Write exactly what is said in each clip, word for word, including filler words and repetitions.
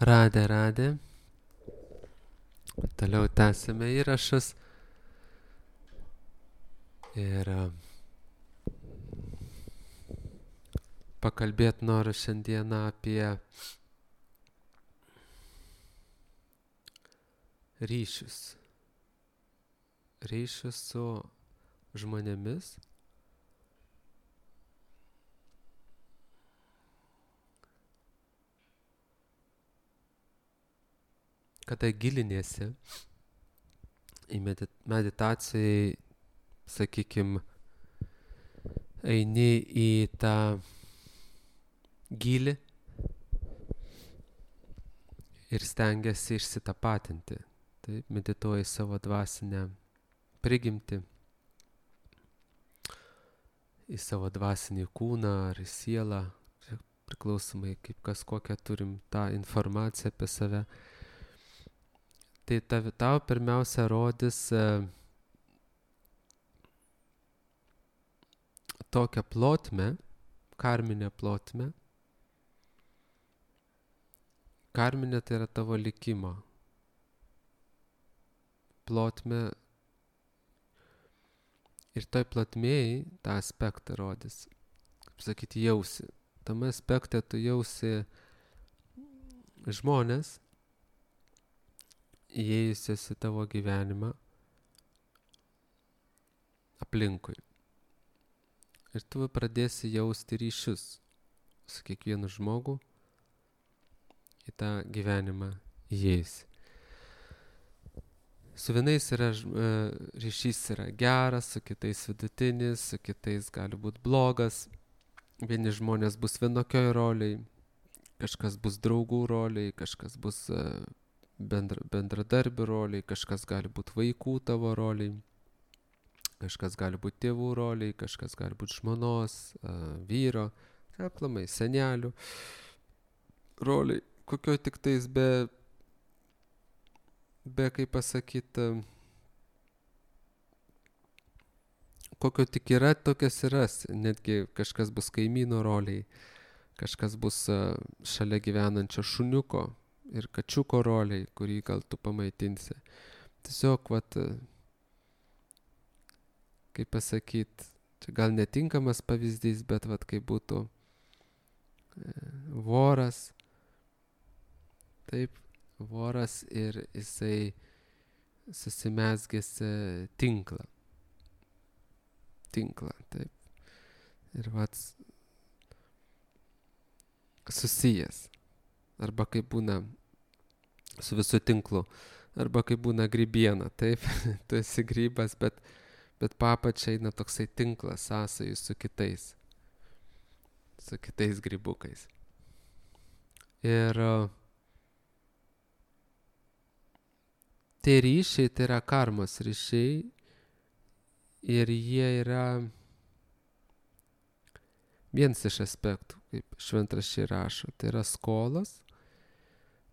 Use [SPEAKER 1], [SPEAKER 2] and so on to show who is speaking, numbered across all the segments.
[SPEAKER 1] Radę, radę. Toliau tęsime įrašus. Ir pakalbėti noriu šiandieną apie ryšius. Ryšius su žmonėmis. Kada giliniesi į meditacijai, sakykim, eini į tą gilį ir stengiasi išsitapatinti. Taip, medituoji savo dvasinę prigimtį, į savo dvasinį kūną ar į sielą, priklausomai kaip kas kokią turim tą informaciją apie save. Tai tau pirmiausia rodys tokią plotmę, karminę plotmę. Karminė tai yra tavo likimo plotmė. Ir toj plotmėj tą aspektą rodys. Kaip sakyti, jausi. Tame aspekte tu jausi žmonės, įėjusias į tavo gyvenimą aplinkui. Ir tu pradėsi jausti ryšius su kiekvienu žmogu į tą gyvenimą įėjusi. Su vienais yra, ryšys yra geras, su kitais vidutinis, su kitais gali būti blogas. Vieni žmonės bus vienokioj roliai, kažkas bus draugų roliai, kažkas bus bendra, bendradarbių roliai, kažkas gali būti vaikų tavo roliai, kažkas gali būti tėvų roliai, kažkas gali būti žmonos, vyro, aplamai, senelių roliai, kokio tik tais be be, kaip pasakyti, kokio tik yra, tokias yra. Netgi kažkas bus kaimyno roliai, kažkas bus šalia gyvenančio šuniuko ir kačiuko roliai, kurį gal tu pamaitinsi. Tiesiog, vat, kaip pasakyti, čia gal netinkamas pavyzdys, bet vat, kaip būtų voras, taip, voras ir jisai susimezgėsi tinklą. Tinklą, taip. Ir vats susijęs. Arba kaip būna su visų tinklu. Arba kaip būna grybiena, taip. Tu esi grybas, bet, bet papačia eina toksai tinklas sąsajų su kitais. Su kitais grybukais. Ir tie ryšiai, tai yra karmos ryšiai ir jie yra vienas iš aspektų, kaip šventraščiai rašo, tai yra skolos,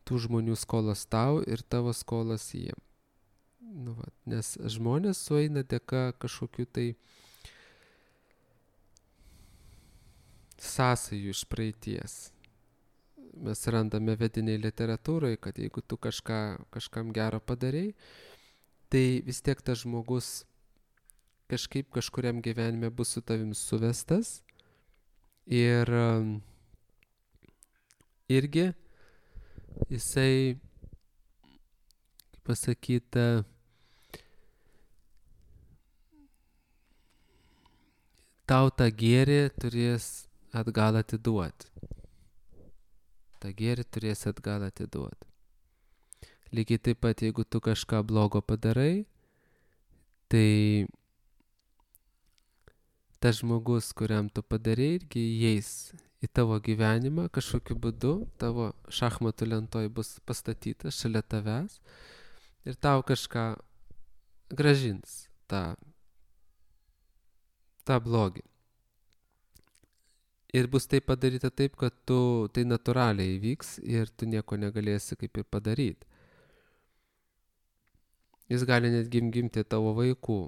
[SPEAKER 1] tų žmonių skolos tau ir tavo skolos jiem. Nu, va, nes žmonės sueina dėka kažkokių tai sąsajų iš praeities. Mes randame vediniai literatūroje, kad jeigu tu kažką, kažkam gero padarei, tai vis tiek tas žmogus kažkaip kažkuriam gyvenime bus su tavim suvestas ir irgi jisai, kaip pasakyti, tau tą gėrį turės atgal atiduoti. tą gėrį turėsi atgal atiduoti. Lygiai taip pat, jeigu tu kažką blogo padarai, tai tas žmogus, kuriam tu padarai, irgi įeis į tavo gyvenimą kažkokiu būdu, tavo šachmatų lentoj bus pastatytas šalia tavęs ir tau kažką grąžins tą, tą blogį. Ir bus tai padaryta taip, kad tu, tai natūraliai įvyks ir tu nieko negalėsi kaip ir padaryti. Jis gali netgi gimti tavo vaikų,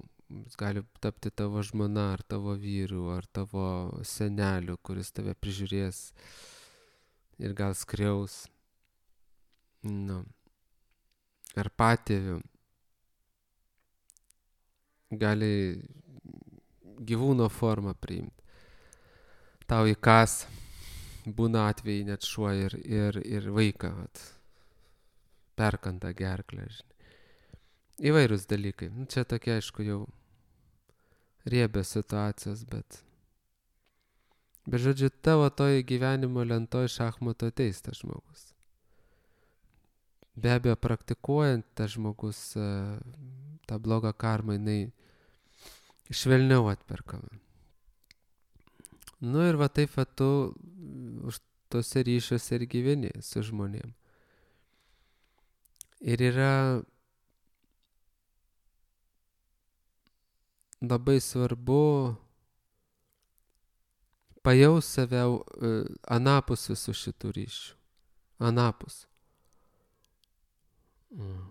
[SPEAKER 1] jis gali tapti tavo žmona ar tavo vyru ar tavo seneliu, kuris tave prižiūrės ir gal skriaus. nu, ar patėviu gali gyvūno formą priimti. Tau įkas, būna atvejai net šuo ir, ir, ir vaiką vat, perkanta gerklę. Žinai. Įvairūs dalykai. Nu, čia tokie, aišku, jau riebės situacijos, bet... Bet žodžiu, tavo toj gyvenimo lentoj šachmato ateis tas žmogus. Be abejo, praktikuojant tas žmogus tą blogą karmą, jinai švelniau atperkama. Nu ir va taip va tu už tose ryšiuose ir gyveni su žmonėm. Ir yra labai svarbu pajaus save uh, anapus visų šitų ryšių. Anapus. Mm.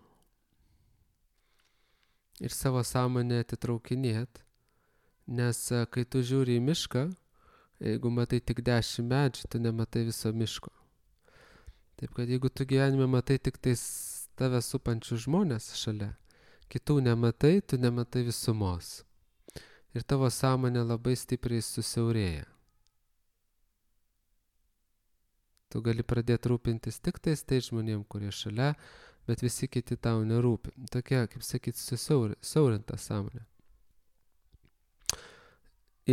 [SPEAKER 1] Ir savo sąmonę atitraukinėt, nes uh, kai tu žiūri į mišką, jeigu matai tik dešimt medžių, tu nematai viso miško. Taip kad jeigu tu gyvenime matai tik tais tave supančių žmonės šalia, kitų nematai, tu nematai visumos. Ir tavo sąmonė labai stipriai susiaurėja. Tu gali pradėti rūpintis tik tais tais žmonėm, kurie šalia, bet visi kiti tau nerūpi. Tokia, kaip sakyti, susiaurinta sąmonė.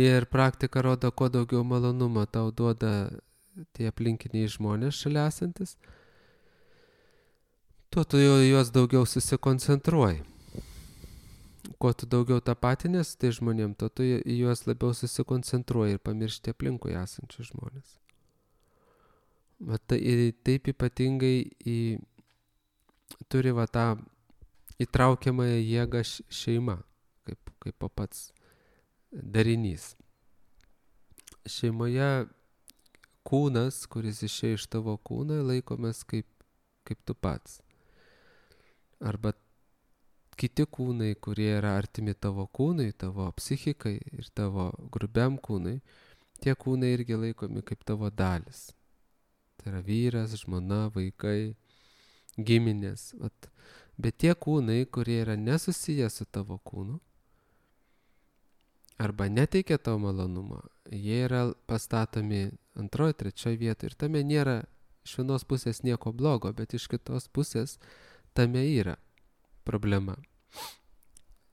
[SPEAKER 1] Ir praktika rodo, kuo daugiau malonumo tau duoda tie aplinkiniai žmonės šalia esantis, tuo tu juos daugiau susikoncentruoji. Kuo tu daugiau tapatinės tai žmonėm, tuo tu į juos labiau susikoncentruoji ir pamiršti aplinkui esančius žmonės. Bet taip ypatingai į, turi va tą įtraukiamąją jėgą šeima, kaip, kaip pats darinys. Šeimoje kūnas, kuris išėjo iš tavo kūno, laikomas kaip, kaip tu pats. Arba kiti kūnai, kurie yra artimi tavo kūnui, tavo psichikai ir tavo grubiam kūnui, tie kūnai irgi laikomi kaip tavo dalis. Tai yra vyras, žmona, vaikai, giminės. Vat. Bet tie kūnai, kurie yra nesusiję su tavo kūnu, arba neteikia tavo malonumo, jie yra pastatomi antroje, trečioje vietoje. Ir tame nėra iš vienos pusės nieko blogo, bet iš kitos pusės tame yra problema.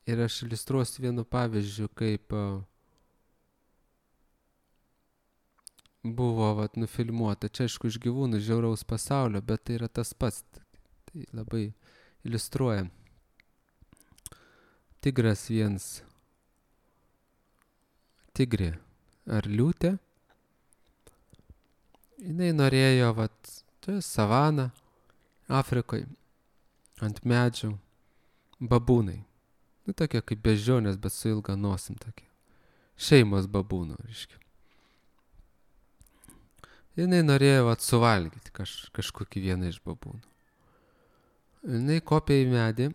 [SPEAKER 1] Ir aš iliustruosiu vienu pavyzdžiu, kaip buvo vat, nufilmuota. Čia aišku iš gyvūnų žiauraus pasaulio, bet tai yra tas pats. Tai labai iliustruoja. Tigras viens. Tigrė ar liūtė. Jinai norėjo, vat, čia savana, Afrikoje, ant medžių, babūnai. Nu, tokie kaip beždžionės, bet su ilga nosim tokie. Šeimos babūnų, reiškia. Jinai norėjo vat, suvalgyti kaž, kažkokį vieną iš babūnų. Jinai kopė į medį.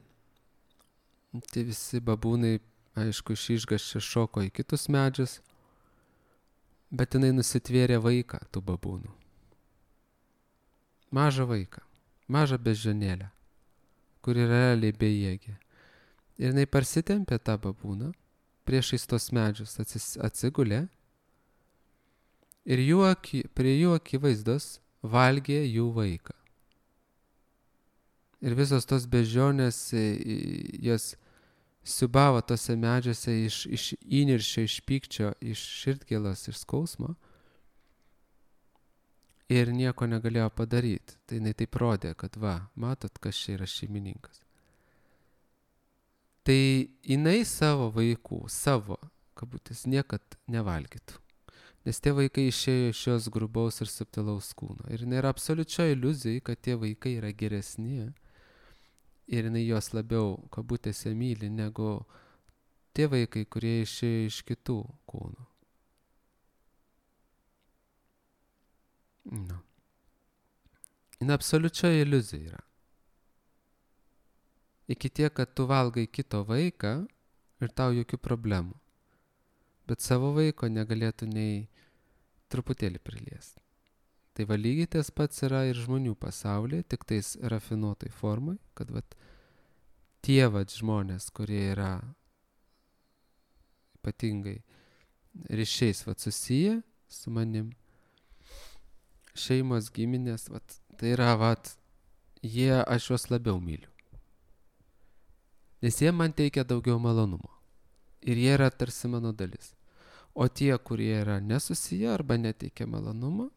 [SPEAKER 1] Tai visi babūnai, aišku, iš išgąsčio šoko į kitus medžius. Bet jinai nusitvėrė vaiką tų babūnų. Mažą vaiką. Mažą beždžionėlę, kuri realiai bejėgė. Ir jinai parsitempė tą babūną, priešais tos medžius atsis, atsigulė. Ir jų aki, prie jų akivaizdos valgė jų vaiką. Ir visos tos beždžionės, jos siubavo tose medžiuose iš, iš įniršio, iš pykčio, iš širdgėlos, iš skausmo. Ir nieko negalėjo padaryti. Tai jinai taip rodė, kad va, matot, kas čia yra šeimininkas. Tai jinai savo vaikų, savo, kabutės, niekad nevalgytų. Nes tie vaikai išėjo iš šios grubaus ir subtilaus kūno. Ir jinai yra absoliučia iliuzija, kad tie vaikai yra geresni ir jinai jos labiau, kabutėse, myli, negu tie vaikai, kurie išėjo iš kitų kūnų. Nu. Jin absoliučia iliuzija yra. Iki tiek, kad tu valgai kito vaiką ir tau jokių problemų. Bet savo vaiko negalėtų nei truputėlį priliesti. Tai va lygiai tas pats yra ir žmonių pasaulyje, tik tais rafinuotai formai, kad vat tie vat žmonės, kurie yra ypatingai ryšiais vat susiję su manim, šeimos, giminės, vat, tai yra vat, jie, aš juos labiau myliu. Nes jie man teikia daugiau malonumo. Ir jie yra tarsi mano dalis. O tie, kurie yra nesusiję arba neteikia malonumo,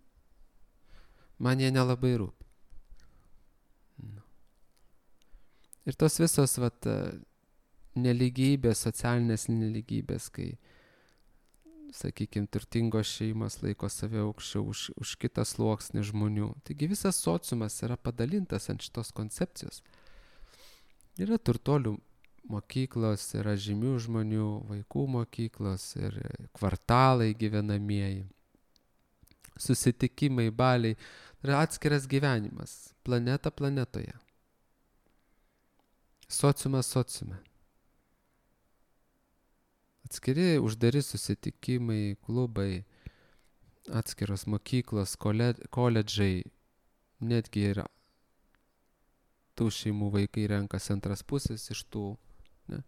[SPEAKER 1] man jie nelabai rūpi. Nu. Ir tos visos vat, neligybės, socialinės neligybės, kai, sakykime, turtingos šeimos laiko save aukščiau už, už kitą sluoksnį žmonių. Taigi visas sociumas yra padalintas ant šitos koncepcijos. Yra turtuolių mokyklos, yra žymių žmonių, vaikų mokyklos ir kvartalai gyvenamieji, susitikimai, baliai. Yra atskiras gyvenimas, planeta planetoje. Sociumas sociume. Atskiri uždari susitikimai, klubai, atskiros mokyklos, koledžai, netgi yra tų šeimų vaikai renkas antras pusės iš tų. Ne?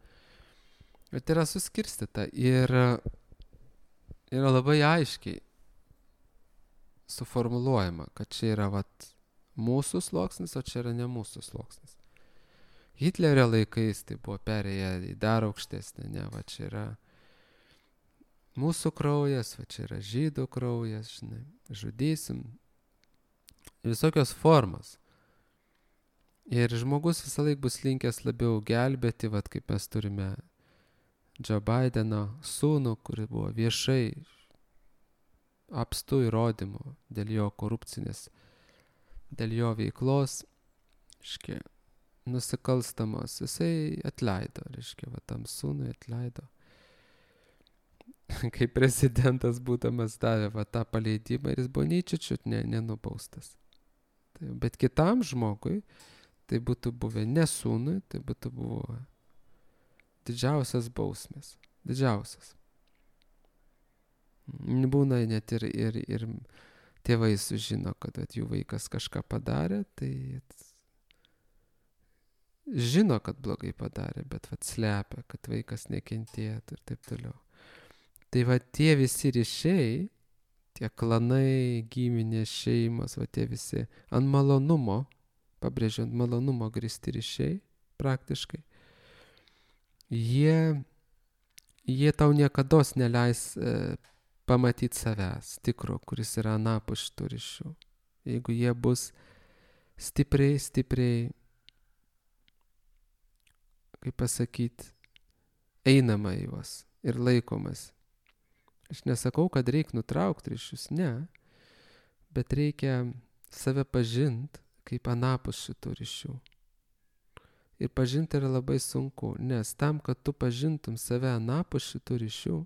[SPEAKER 1] Bet yra suskirstyta ir yra labai aiškiai suformuluojama, kad čia yra vat, mūsų sluoksnis, o čia yra ne mūsų sluoksnis. Hitlerio laikais tai buvo perėję į dar aukštesnį, ne, va čia yra mūsų kraujas, va čia yra žydų kraujas, žinai, žudysim. Visokios formos. Ir žmogus visą laik bus linkęs labiau gelbėti, vat kaip mes turime Joe Bideno sūnų, kuris buvo viešai apstu įrodymų dėl jo korupcinės, dėl jo veiklos, reiškia, nusikalstamos, jisai atleido, reiškia, va tam sūnui atleido. Kai prezidentas būdamas davė va tą paleidimą ir jis buvo nei čiučiut ne, nenubaustas. Tai, bet kitam žmogui tai būtų buvę ne sūnui, tai būtų buvo didžiausias bausmės. Didžiausias. Būna net ir, ir, ir tėvai sužino, kad at, jų vaikas kažką padarė, tai žino, kad blogai padarė, bet vat slepia, kad vaikas nekentėtų ir taip toliau. Tai va tie visi ryšiai, tie klanai, giminės, šeimos, va tie visi ant malonumo, pabrėžiu, ant malonumo grįsti ryšiai praktiškai, jie, jie tau niekados neleis e, pamatyti savęs tikro, kuris yra anapus šitų ryšių. Jeigu jie bus stipriai, stipriai, kaip pasakyti, einama į juos ir laikomas. Aš nesakau, kad reikia nutraukti ryšius, ne, bet reikia save pažinti kaip anapus šitų ryšių. Ir pažinti yra labai sunku, nes tam, kad tu pažintum save anapus šitų ryšių,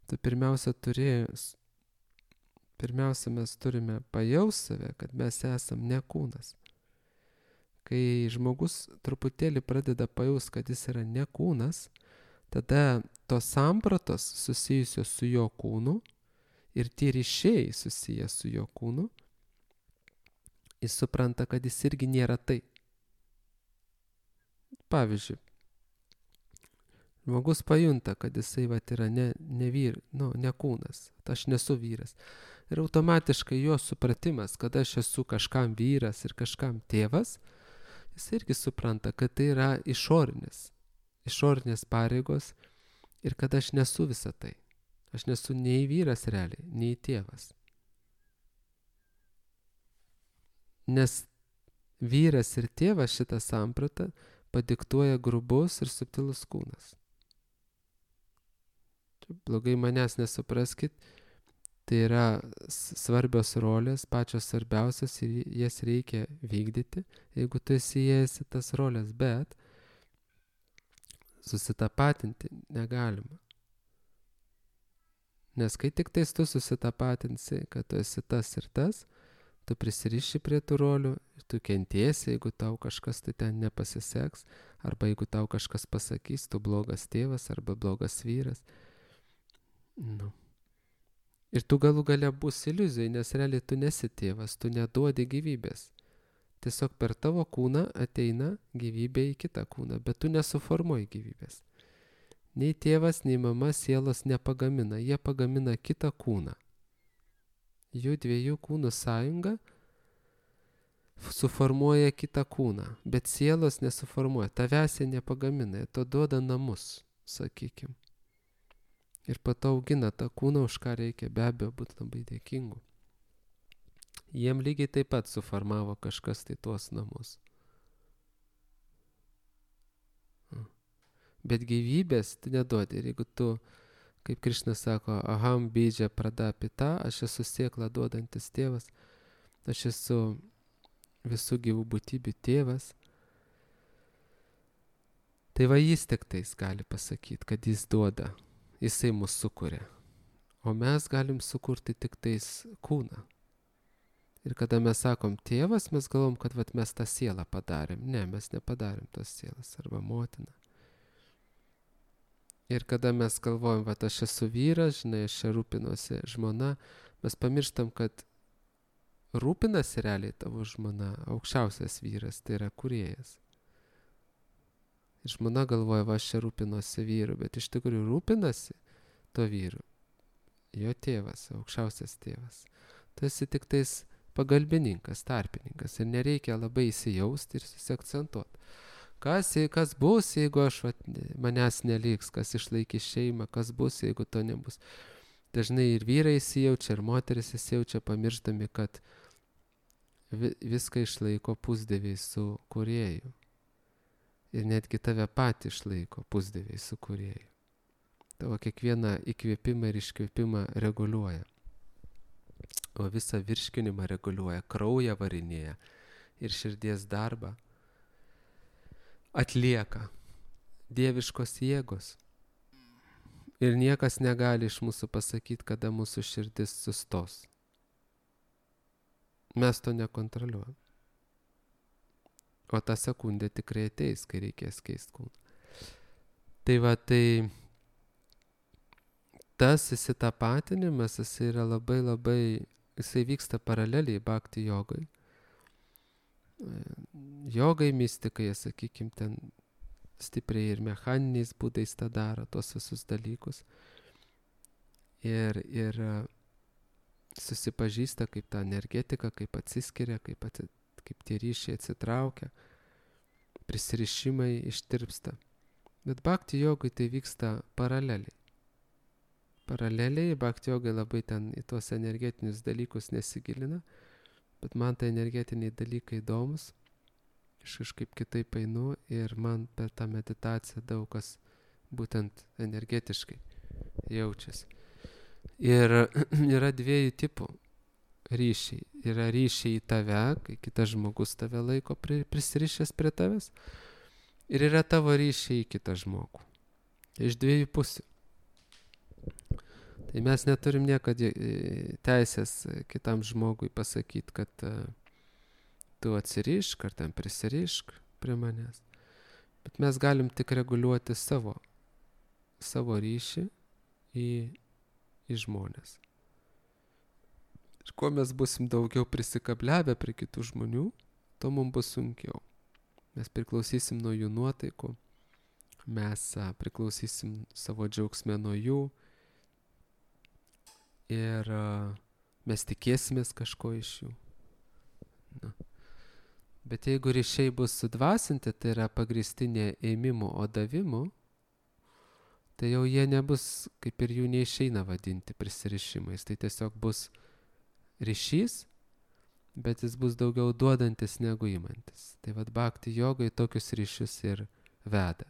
[SPEAKER 1] tu pirmiausia turi, pirmiausia mes turime pajausti save, kad mes esam ne kūnas. Kai žmogus truputėlį pradeda pajausti, kad jis yra ne kūnas, tada tos sampratos susijusios su jo kūnu ir tie ryšiai susiję su jo kūnu, jis supranta, kad jis irgi nėra tai. Pavyzdžiui, žmogus pajunta, kad jisai vat, yra ne, ne, vyr, nu, ne kūnas, aš nesu vyras. Ir automatiškai jo supratimas, kad aš esu kažkam vyras ir kažkam tėvas, jis irgi supranta, kad tai yra išorinis. išorinės pareigos ir kad aš nesu visą tai. Aš nesu nei vyras realiai, nei tėvas. Nes vyras ir tėvas šitą sampratą padiktuoja grubus ir subtilus kūnas. Blogai manęs nesupraskit, tai yra svarbios rolės, pačios svarbiausios ir jas reikia vykdyti, jeigu tu esi įėjęs į tas rolės, bet susitapatinti negalima. Nes kai tik tais tu susitapatinsi, kad tu esi tas ir tas, tu prisiriši prie tų rolių ir tu kentėsi, jeigu tau kažkas tai ten nepasiseks, arba jeigu tau kažkas pasakys, tu blogas tėvas arba blogas vyras. Nu. Ir tu galų gale bus iliuzijai, nes realiai tu nesi tėvas, tu neduodi gyvybės. Tiesiog per tavo kūną ateina gyvybė į kitą kūną, bet tu nesuformuoji gyvybės. Nei tėvas, nei mama sielos nepagamina, jie pagamina kitą kūną. Jų dviejų kūnų sąjunga suformuoja kitą kūną, bet sielos nesuformuoja, tavęs jie nepagamina, to duoda namus, sakykim. Ir po to augina tą kūną, už ką reikia be abejo būti labai dėkingu. Jiem lygiai taip pat suformavo kažkas tai tuos namus. Bet gyvybės tu neduodi. Ir jeigu tu, kaip Krišna sako, aham bidža pradapita, aš esu sėklą duodantis tėvas, aš esu visų gyvų būtybių tėvas, tai va jis tik tais gali pasakyti, kad jis duoda, jisai mus sukuria. O mes galim sukurti tik tais kūną. Ir kada mes sakom tėvas, mes galvom, kad vat, mes tą sielą padarėm. Ne, mes nepadarėm tos sielas, arba motina. Ir kada mes galvojam, vat aš esu vyras, žinai, aš čia rūpinuosi žmona, mes pamirštam, kad rūpinasi realiai tavo žmona, aukščiausias vyras, tai yra kūrėjas. Ir žmona galvoja, va aš čia rūpinuosi vyru, bet iš tikrųjų rūpinasi to vyru. Jo tėvas, aukščiausias tėvas. Tu esi tik tais pagalbininkas, tarpininkas ir nereikia labai įsijausti ir susiakcentuoti. Kas, kas bus, jeigu aš vat, manęs neliks, kas išlaikys šeimą, kas bus, jeigu to nebus. Dažnai ir vyrai įsijaučia, ir moteris įsijaučia, pamirštami, kad vi, viską išlaiko pusdieviai su kūrėju. Ir netgi tave patį išlaiko pusdieviai su kūrėju. Tavo kiekvieną įkvėpimą ir iškvėpimą reguliuoja. O visą virškinimą reguliuoja, kraują varinėja ir širdies darbą atlieka dieviškos jėgos. Ir niekas negali iš mūsų pasakyti, kada mūsų širdis sustos. Mes to nekontroliuojam. O ta sekundė tikrai ateis, kai reikės keisti kūną. Tai va, tai tas įsitapatinimas, jis yra labai labai, jisai vyksta paraleliai bhakti jogai. Jogai, mystikai, sakykim, ten stipriai ir mechaniniais būdais tą daro, tos visus dalykus. Ir, ir susipažįsta, kaip ta energetika, kaip atsiskiria, kaip, atsi, kaip tie ryšiai atsitraukia, prisirišimai ištirpsta. Bet bhakti jogai tai vyksta paraleliai. Paraleliai, bhakti jogai labai ten į tuos energetinius dalykus nesigilina, bet man tai energetiniai dalykai įdomus, aš kažkaip kitaip einu ir man per tą meditaciją daug kas būtent energetiškai jaučiasi. Ir yra dviejų tipų ryšiai. Yra ryšiai į tave, kai kitas žmogus tave laiko prisirišęs prie tavęs, ir yra tavo ryšiai į kitą žmogų. Iš dviejų pusių. Tai mes neturim niekad teisės kitam žmogui pasakyti, kad uh, tu atsirišk ar ten prisirišk prie manęs. Bet mes galim tik reguliuoti savo, savo ryšį į, į žmonės. Ir kuo mes busim daugiau prisikabliavę prie kitų žmonių, to mums bus sunkiau. Mes priklausysim nuo jų nuotaikų, mes uh, priklausysim savo džiaugsme nuo jų, ir uh, mes tikėsimės kažko iš jų. Na. Bet jeigu ryšiai bus sudvasinti, tai yra pagrįsti ne ėmimu, o davimu, tai jau jie nebus, kaip ir jų neišeina vadinti prisirišimais. Tai tiesiog bus ryšys, bet jis bus daugiau duodantis negu imantis. Tai vad bhakti jogai tokius ryšius ir veda.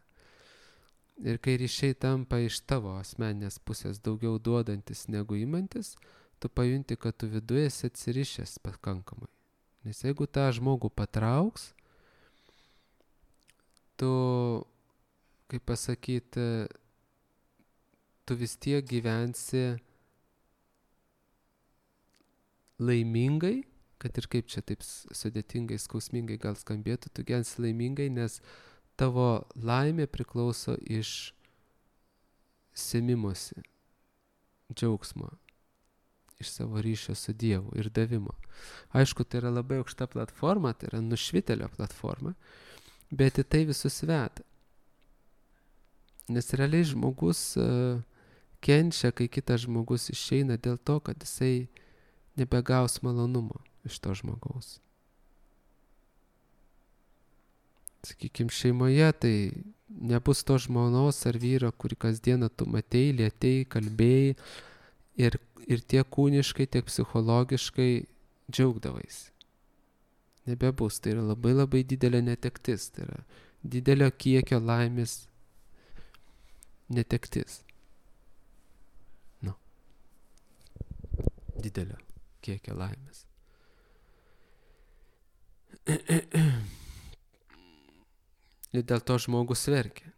[SPEAKER 1] Ir kai ryšiai tampa iš tavo asmeninės pusės daugiau duodantis negu imantis, tu pajunti, kad tu viduje esi atsirišęs pakankamai. Nes jeigu tą žmogų patrauks, tu, kaip pasakyti, tu vis tiek gyvensi laimingai, kad ir kaip čia taip sudėtingai, skausmingai gal skambėtų, tu gyvensi laimingai, nes tavo laimė priklauso iš semimosi, džiaugsmo. iš savo ryšio su Dievu ir davimo. Aišku, tai yra labai aukšta platforma, tai yra nušvitelio platforma, bet į tai visus veda. Nes realiai žmogus uh, kenčia, kai kitas žmogus išeina dėl to, kad jisai nebegaus malonumo iš to žmogaus. Sakykime, šeimoje tai nebus to žmonos ar vyro, kurį kasdieną tu matei, lietei, kalbėjai ir, ir tiek kūniškai, tiek psichologiškai džiaugdavais. Nebebus, tai yra labai labai didelė netektis, tai yra didelio kiekio laimės netektis. Nu, didelio kiekio laimės. Ir dėl to žmogus verkia.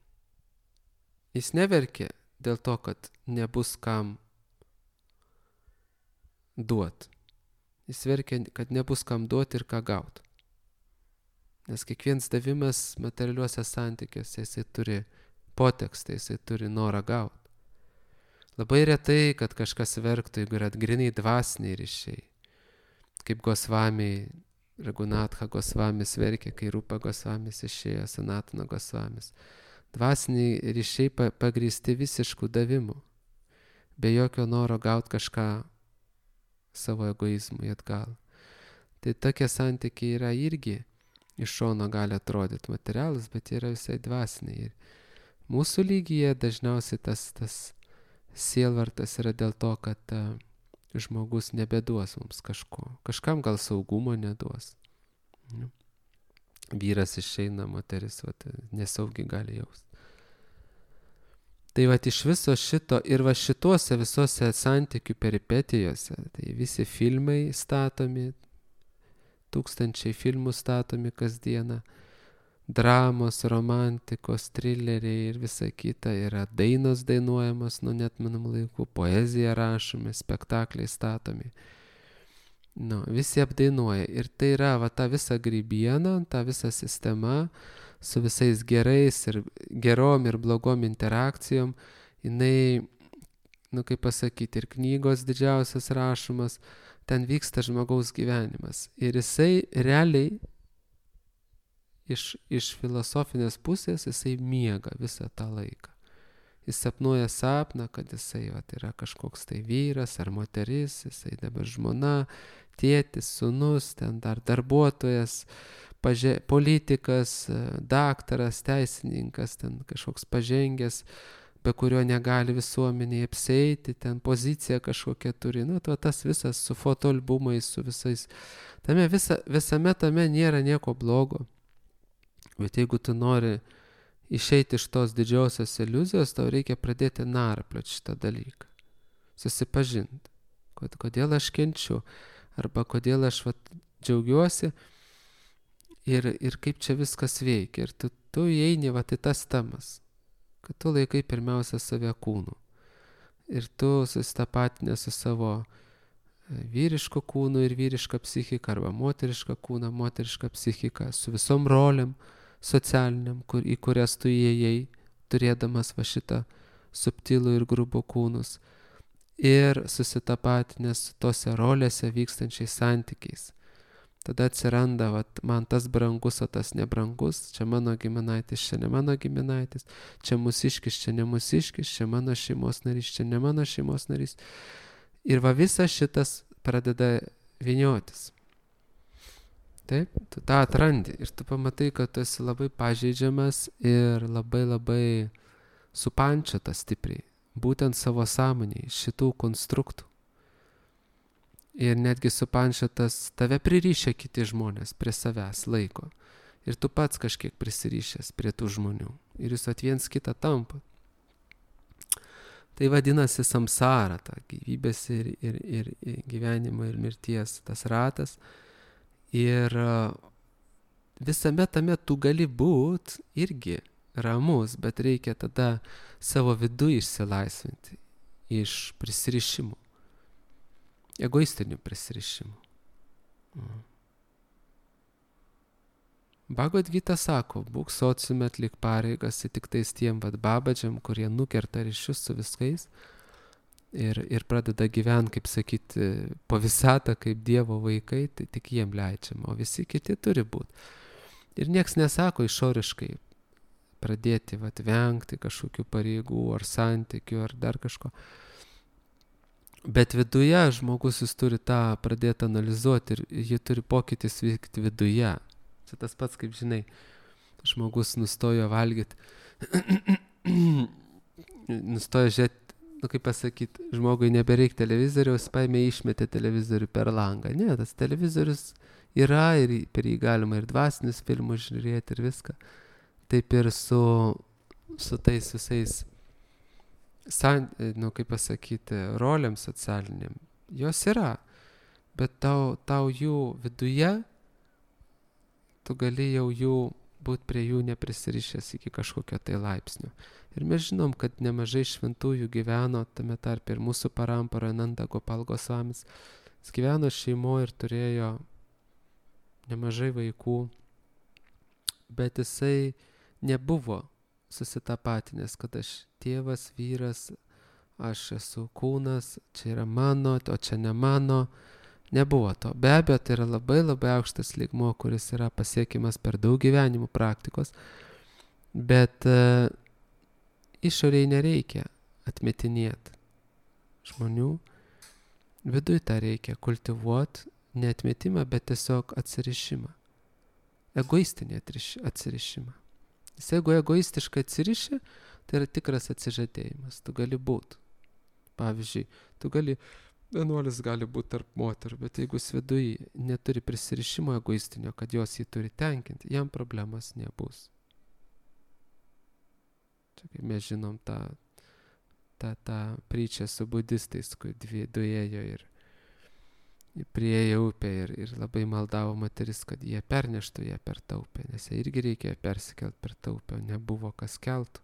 [SPEAKER 1] Jis neverkia dėl to, kad nebus kam duot. Jis verkia, kad nebus kam duot ir ką gaut. Nes kiekvienas davimas materialiuose santykiuose, jisai turi potekstą, jisai turi norą gaut. Labai retai, kad kažkas verktų, jeigu yra griniai dvasiniai ryšiai. Kaip Gosvamiai, Raghunatha Gosvamis verkė, kai Rupa Gosvamis išėjo, Sanatana Gosvamis. Dvasiniai ryšiai pagrįsti visiškų davimų, be jokio noro gauti kažką savo egoizmui atgal. Tai tokie santykiai yra irgi iš šono gali atrodyti materialus, bet yra visai dvasiniai. Ir mūsų lygyje dažniausiai tas, tas sielvartas yra dėl to, kad uh, žmogus nebeduos mums kažko. Kažkam gal saugumo neduos. Nu. Vyras išeina, moteris vat, nesaugiai gali jaust. Tai vat iš viso šito ir va šituose visose santykių peripetijose, tai visi filmai statomi, tūkstančiai filmų statomi kasdieną, dramos, romantikos, trileriai ir visa kita, yra dainos dainuojamos nuo neatmenamų laikų, poezija rašomi, spektakliai statomi. Nu, visi apdainuoja ir tai yra va ta visa grybiena, ta visa sistema su visais gerais ir gerom ir blogom interakcijom, jinai, nu kaip pasakyti, ir knygos didžiausias rašomas, ten vyksta žmogaus gyvenimas ir jisai realiai Iš, iš filosofinės pusės jisai miega visą tą laiką. Jis sapnuoja sapną, kad jisai vat, yra kažkoks tai vyras ar moteris, jisai dabar žmona, tėtis, sūnus, ten dar darbuotojas, paže, politikas, daktaras, teisininkas, ten kažkoks pažengęs, be kurio negali visuomeniai apsieiti, ten pozicija kažkokia turi. Nu, to, tas visas su fotoalbumais, su visais. Tame visa, visame tame nėra nieko blogo. Bet jeigu tu nori išeiti iš tos didžiosios iliuzijos, tau reikia pradėti narplioti šitą dalyką. Susipažinti, kod, kodėl aš kenčiu, arba kodėl aš vat, džiaugiuosi ir, ir kaip čia viskas veikia. Ir tu, tu įeini vat, į tas temas, kad tu laikai pirmiausia save kūnu. Ir tu susitapatinę su savo vyriško kūnu ir vyriška psichika, arba moteriška kūna, moteriška psichika, su visom rolėm, socialiniam, kur, į kurias tu įėjai, turėdamas va šitą subtilų ir grubų kūnus. Ir susitapatinęs su tose rolėse vykstančiais santykiais. Tada atsiranda, vat, man tas brangus, o tas nebrangus, čia mano giminaitis, čia ne mano giminaitis, čia mūsiškis, čia ne mūsiškis, čia mano šeimos narys, čia ne mano šeimos narys. Ir va visas šitas pradeda vyniotis. Taip, tu tą atrandi ir tu pamatai, kad tu esi labai pažeidžiamas ir labai labai supančiotas stipriai, būtent savo sąmonėje, šitų konstruktų. Ir netgi supančiotas tave pririšia kiti žmonės prie savęs laiko. Ir tu pats kažkiek prisirišęs prie tų žmonių. Ir jūs viens kitą tampa. Tai vadinasi samsara, ta gyvybės ir, ir, ir, ir gyvenimo ir mirties tas ratas. Ir visame tame tu gali būt irgi ramus, bet reikia tada savo vidų išsilaisvinti iš prisirišimų, egoistinių prisirišimų. Mm. Bhagavad Gita sako, būk sociume, atlik pareigas tik tais tiem vad babadžiam, kurie nukerta ryšius su viskais, ir, ir pradeda gyventi, kaip sakyti, po visatą, kaip Dievo vaikai, tai tik jiem leidžiama, o visi kiti turi būti. Ir nieks nesako išoriškai pradėti vat, vengti kažkokių pareigų ar santykių ar dar kažko. Bet viduje žmogus jis turi tą pradėti analizuoti ir jį turi pokytis vykti viduje. Čia tas pats, kaip žinai, žmogus nustojo valgyti, nustojo žiūrėti, nu kaip pasakyti, žmogui nebereik televizoriaus, paėmė išmetė televizorių per langą. Ne, tas televizorius yra ir per jį galima ir dvasinius filmus žiūrėti ir viską. Taip ir su, su tais visais, san, nu kaip pasakyti, rolėm socialiniam. Jos yra, bet tau, tau jų viduje, tu gali jau jų būti prie jų neprisirišęs iki kažkokio tai laipsnio. Ir mes žinom, kad nemažai šventųjų gyveno, tame tarpe ir mūsų parampara Nanda Gopal Gosvamis. Jis gyveno šeimoje ir turėjo nemažai vaikų, bet jisai nebuvo susitapatinęs, kad aš tėvas, vyras, aš esu kūnas, čia yra mano, o čia ne mano. Nebuvo to. Be abejo, tai yra labai labai aukštas lygmuo, kuris yra pasiekimas per daug gyvenimų praktikos, bet uh, išoriai nereikia atmetinėti žmonių. Viduj tą reikia kultivuoti, ne atmetimą, bet tiesiog atsirišimą. Egoistinį atsirišimą. Jis jeigu egoistiškai atsiriši, tai yra tikras atsižadėjimas. Tu gali būti. Pavyzdžiui, tu gali, vienuolis gali būti tarp moterų, bet jeigu jis viduj neturi prisirišimo egoistinio, kad jos jį turi tenkinti, jam problemas nebus. Čia kaip mes žinom tą, tą, tą pryčią su budistais, kur dvi duėjo ir priėjo upę ir, ir labai maldavo moteris, kad jie perneštų ją per tą upę, nes jie irgi reikėjo persikelt per tą upę, nebuvo kas keltų.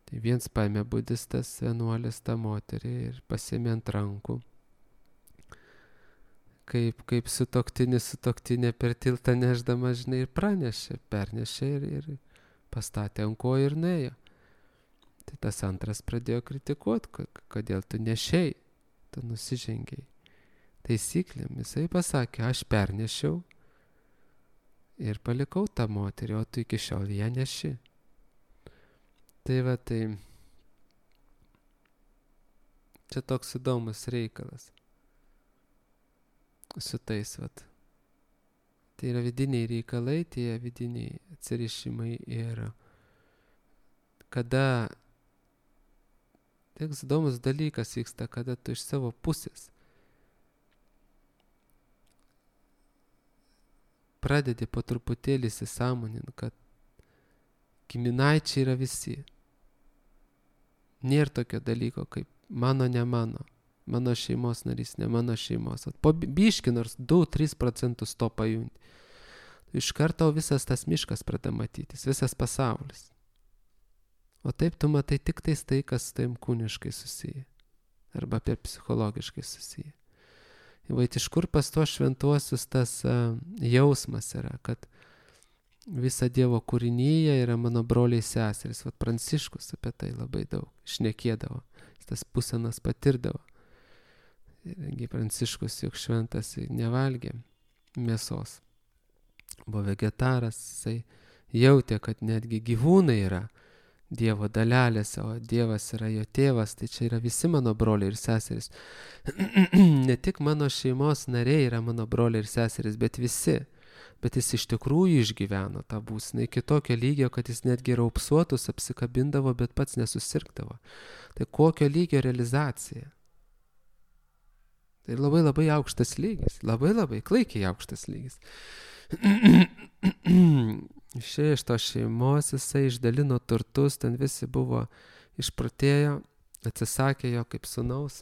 [SPEAKER 1] Tai viens paėmė budistas, vienuolis tą moterį ir pasiėmė ant rankų. Kaip, kaip sutuoktinis sutuoktinė per tiltą neždama, žinai, ir pranešė, pernešė ir, ir pastatė ant kojų ir nuėjo. Tai tas antras pradėjo kritikuoti, kodėl tu nešei, tu nusižengiai taisyklėm. Jisai pasakė, aš pernešiau ir palikau tą moterį, o tu iki šiol ją neši. Tai va, tai čia toks įdomus reikalas su tais, va. Tai yra vidiniai reikalai, tie vidiniai atsirišimai ir kada toks įdomus dalykas vyksta, kada tu iš savo pusės pradedi po truputėlį įsisąmonint, kad giminaičiai yra visi. Nėra tokio dalyko kaip mano, ne mano, mano šeimos narys, ne mano šeimos. Po biški nors du tris procentus to pajunti. Iš karto visas tas miškas pradeda matytis, visas pasaulis. O taip tu matai tik tais tai, kas taim kūniškai susiję. Arba apie psichologiškai susiję. Vait iš kur pas tuos šventuosius tas uh, jausmas yra, kad visa Dievo kūrinyje yra mano broliai seserys. Vat Pranciškus apie tai labai daug šnekėdavo. Jis tas būsenas patirdavo. Ir Pranciškus juk šventas nevalgė mėsos. Buvo vegetaras, jisai jautė, kad netgi gyvūnai yra Dievo dalelėse, o Dievas yra jo tėvas, tai čia yra visi mano broliai ir seserys. Ne tik mano šeimos nariai yra mano broliai ir seserys, bet visi. Bet jis iš tikrųjų išgyveno tą būseną iki tokio lygio, kad jis netgi raupsuotus apsikabindavo, bet pats nesusirgdavo. Tai kokio lygio realizacija? Tai labai labai aukštas lygis, labai labai klaikiai aukštas lygis. Išėjo iš to šeimos, jisai išdalino turtus, ten visi buvo išprotėjo, atsisakė jo kaip sūnaus.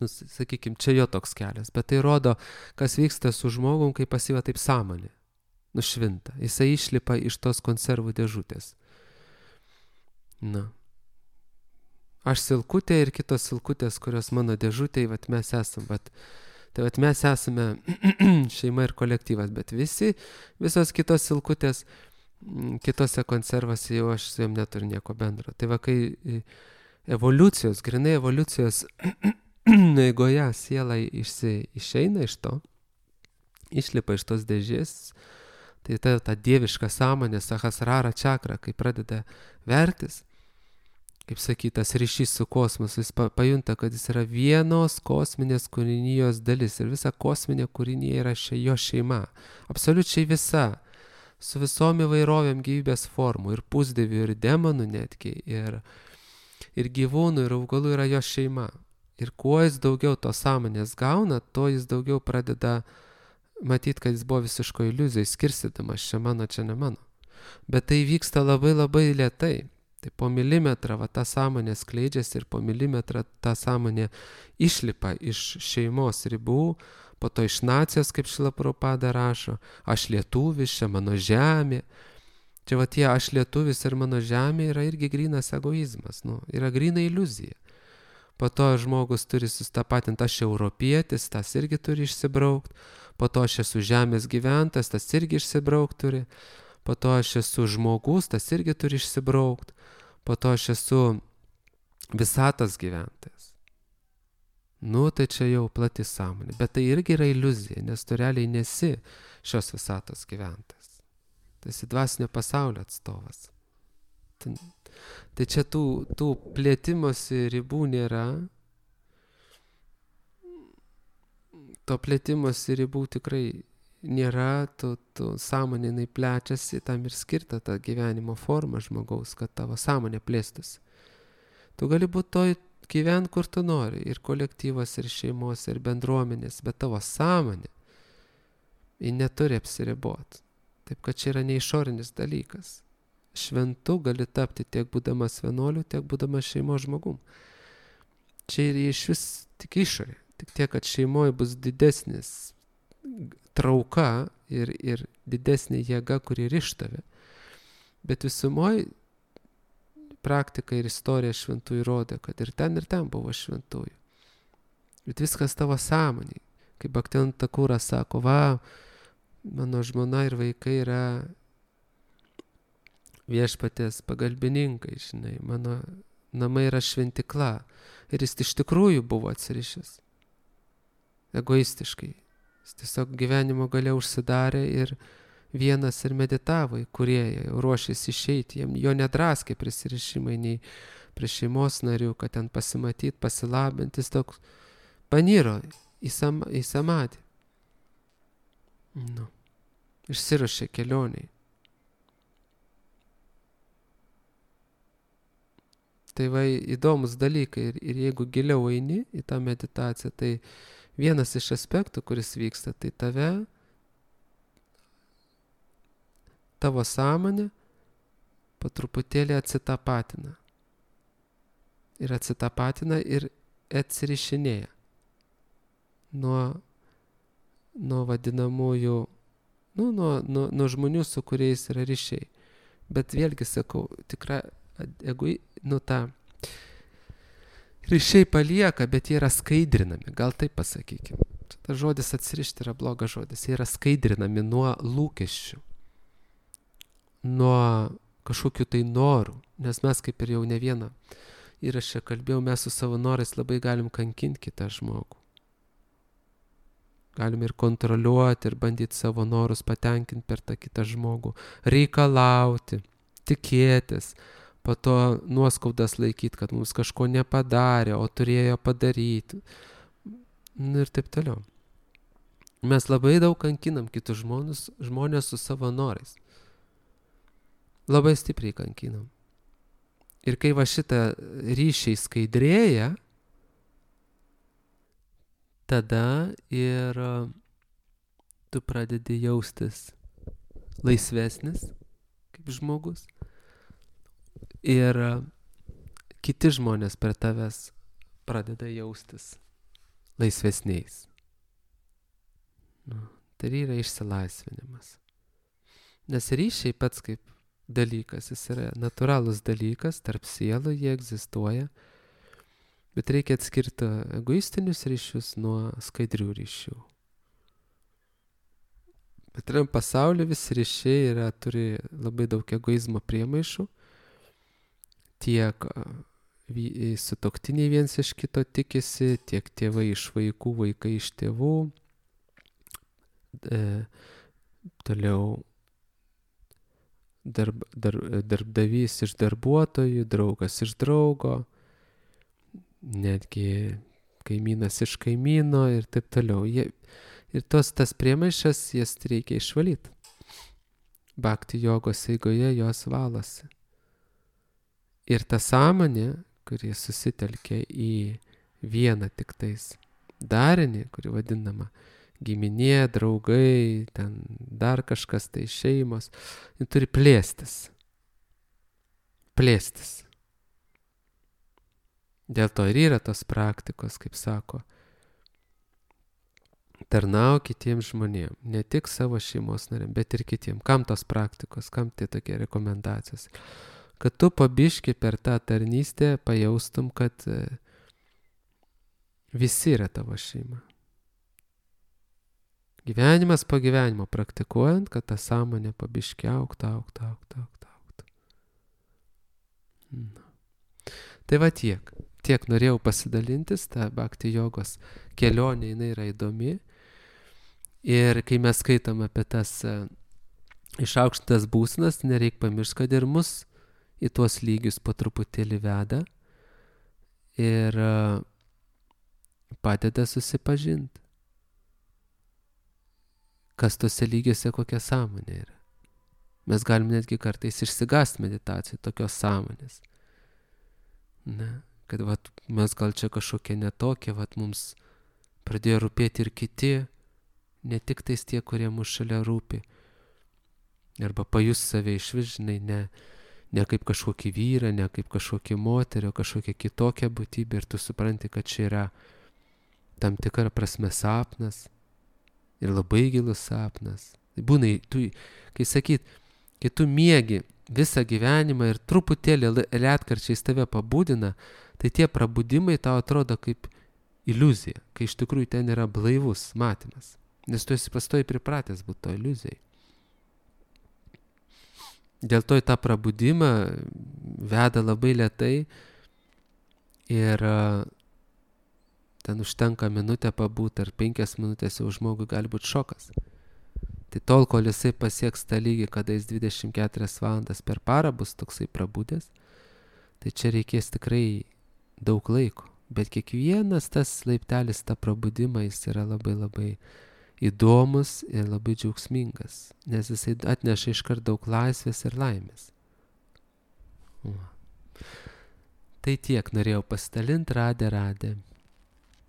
[SPEAKER 1] Nu, sakykim, čia jo toks kelias, bet tai rodo, kas vyksta su žmogum, kai pasyva taip sąmonė, nušvinta. Jisai išlipa iš tos konservų dėžutės. Na. Aš silkutė ir kitos silkutės, kurios mano dėžutėje, vat mes esam, vat. Tai vat mes esame šeima ir kolektyvas, bet visi, visos kitos silkutės, kitose konservose jau aš su jom neturiu nieko bendro. Tai va, kai evoliucijos, grinai evoliucijos eigoje siela išsi, išeina iš to, išlipa iš tos dėžės, tai ta, ta dieviška sąmonė, sahasrara čakra, kai pradeda vertis, kaip sakytas, ryšys su kosmosu, jis pa, pajunta, kad jis yra vienos kosminės kūrinijos dalis ir visa kosminė kūrinija yra še, jo šeima, absoliučiai visa, su visom įvairovėm gyvybės formų, ir pusdievių, ir demonų netgi, ir, ir gyvūnų, ir augalų yra jo šeima. Ir kuo jis daugiau to sąmonės gauna, to jis daugiau pradeda matyti, kad jis buvo visiško iliuzijai, skirstydamas, čia mano, čia ne mano. Bet tai vyksta labai labai lėtai. Tai po milimetrą va, ta sąmonė skleidžiasi ir po milimetrą ta sąmonė išlipa iš šeimos ribų, po to iš nacijos, kaip Šrila Prabhupada rašo, aš lietuvis, čia mano žemė. Čia va tie aš lietuvis ir mano žemė yra irgi grynas egoizmas, nu, yra gryna iliuzija. Po to žmogus turi sustapatinti, aš europietis, tas irgi turi išsibraukti, po to aš esu žemės gyventas, tas irgi išsibraukti turi, po to aš esu žmogus, tas irgi turi išsibraukti, po to aš esu visatos gyventojas. Nu, tai čia jau plati sąmonė, bet tai irgi yra iliuzija, nes tu realiai nesi šios visatos gyventojas. Tai esi dvasinio pasaulio atstovas. Tai, tai čia tų, tų plėtimosi ribų nėra. To plėtimosi ribų tikrai nėra, tu, tu sąmonė jinai plečiasi, tam ir skirta ta gyvenimo forma žmogaus, kad tavo sąmonė plėstųsi. Tu gali būti toj gyvent, kur tu nori, ir kolektyvas, ir šeimos, ir bendruomenės, bet tavo sąmonė, ji neturi apsiriboti. Taip, kad čia yra neišorinis dalykas. Šventu gali tapti tiek būdamas vienuoliu, tiek būdamas šeimos žmogum. Čia ir iš vis tik išorė. Tik tiek, kad šeimoje bus didesnis trauka ir, ir didesnė jėga, kuri riš tave. Bet visumoje praktika ir istorija šventųjų rodė, kad ir ten, ir ten buvo šventųjų. Bet viskas tavo sąmonėj. Kaip Bhaktivinoda Thakura sako, va, mano žmona ir vaikai yra viešpaties pagalbininkai, žinai, mano namai yra šventikla. Ir jis iš tikrųjų buvo atsirišęs. Egoistiškai. Jis tiesiog gyvenimo gale užsidarė ir vienas ir meditavo į kūrėją, ruošėsi išeiti, jam jo nedraskė prisirišimai nei prie šeimos narių, kad ten pasimatyti, pasilabinti, jis toks paniro į, sam, į samadį. Nu, išsiruošė kelioniai. Tai va įdomus dalykai ir, ir jeigu giliau eini į tą meditaciją, tai vienas iš aspektų, kuris vyksta, tai tave, tavo sąmonė po truputėlį atsitapatina. Ir atsitapatina ir atsirišinėja nuo, nuo vadinamųjų, nu, nuo, nuo, nuo žmonių, su kuriais yra ryšiai. Bet vėlgi sakau, tikra, jeigu, nu tą, ryšiai palieka, bet jie yra skaidrinami, gal taip pasakykime. Tas žodis atsirišti yra blogas žodis, jie yra skaidrinami nuo lūkesčių, nuo kažkokių tai norų, nes mes kaip ir jau ne vieną įrašę kalbėjau, mes su savo norais labai galim kankinti kitą žmogų. Galim ir kontroliuoti, ir bandyti savo norus patenkinti per tą kitą žmogų, reikalauti, tikėtis, po to nuoskaudas laikyti, kad mums kažko nepadarė, o turėjo padaryti. Ir taip toliau. Mes labai daug kankinam kitus žmonės, žmonės su savo norais. Labai stipriai kankinam. Ir kai va šitą ryšiai skaidrėja, tada ir tu pradedi jaustis laisvesnis kaip žmogus. Ir kiti žmonės per tavęs pradeda jaustis laisvesniais. Nu, tai yra išsilaisvinimas. Nes ryšiai pats kaip dalykas, jis yra natūralus dalykas, tarp sielų jie egzistuoja, bet reikia atskirti egoistinius ryšius nuo skaidrių ryšių. Bet tam pasaulyje visi ryšiai yra, turi labai daug egoizmo priemaišų, tiek sutuoktiniai viens iš kito tikisi, tiek tėvai iš vaikų, vaikai iš tėvų. E, toliau darb, dar, darbdavys iš darbuotojų, draugas iš draugo, netgi kaimynas iš kaimyno ir taip toliau. Jie, ir tos tas priemaišas, jas reikia išvalyti. Bhakti jogos eigoje jos valosi. Ir ta sąmonė, kuri susitelkia į vieną tik tais darinį, kuri vadinama giminė, draugai, ten dar kažkas tai šeimos, ji turi plėstis. Plėstis. Dėl to ir yra tos praktikos, kaip sako, tarnau kitiems žmonėms, ne tik savo šeimos nariam, bet ir kitiems. Kam tos praktikos, kam tai tokie rekomendacijos? Kad tu pabiški per tą tarnystę pajaustum, kad visi yra tavo šeima. Gyvenimas po gyvenimo praktikuojant, kad ta sąmonė pabiški auktų, auktų, auktų, auktų, auktų. Na. Tai va tiek. Tiek norėjau pasidalintis, ta bhakti jogos kelionė, jinai yra įdomi. Ir kai mes skaitom apie tas uh, išaukštas būsenas, nereik pamiršti, kad ir mus į tuos lygius po truputėlį veda ir uh, padeda susipažinti, kas tose lygiuose kokia sąmonė yra. Mes galim netgi kartais išsigąsti meditacijai tokios sąmonės. Ne, kad vat, mes gal čia kažkokie netokie, vat mums pradėjo rūpėti ir kiti, ne tik tais tie, kurie mūsų šalia rūpi. Arba pajus save išvis, žinai, ne, ne kaip kažkokį vyrą, ne kaip kažkokį moterį, o kažkokią kitokią būtybę ir tu supranti, kad čia yra tam tikra prasme sapnas ir labai gilus sapnas. Būna, tu, kai sakyt, kai tu miegi visą gyvenimą ir truputėlį retkarčiais tave pabudina, tai tie prabudimai tau atrodo kaip iliuzija, kai iš tikrųjų ten yra blaivus matymas. Nes tu esi pastoji pripratęs būti to iliuzijai. Dėl to į tą prabudimą veda labai lėtai ir uh, ten užtenka minutę pabūti ar penkias minutės jau žmogui gali būti šokas. Tai tol, kol jisai pasieks tą lygį, kada jis dvidešimt keturias valandas per parą bus toksai prabudęs, tai čia reikės tikrai daug laiko. Bet kiekvienas tas laiptelis, tą prabudimą, jis yra labai labai įdomus ir labai džiaugsmingas, nes jisai atneša iškart daug laisvės ir laimės. Va. Tai tiek norėjau pasidalinti, radė, radė.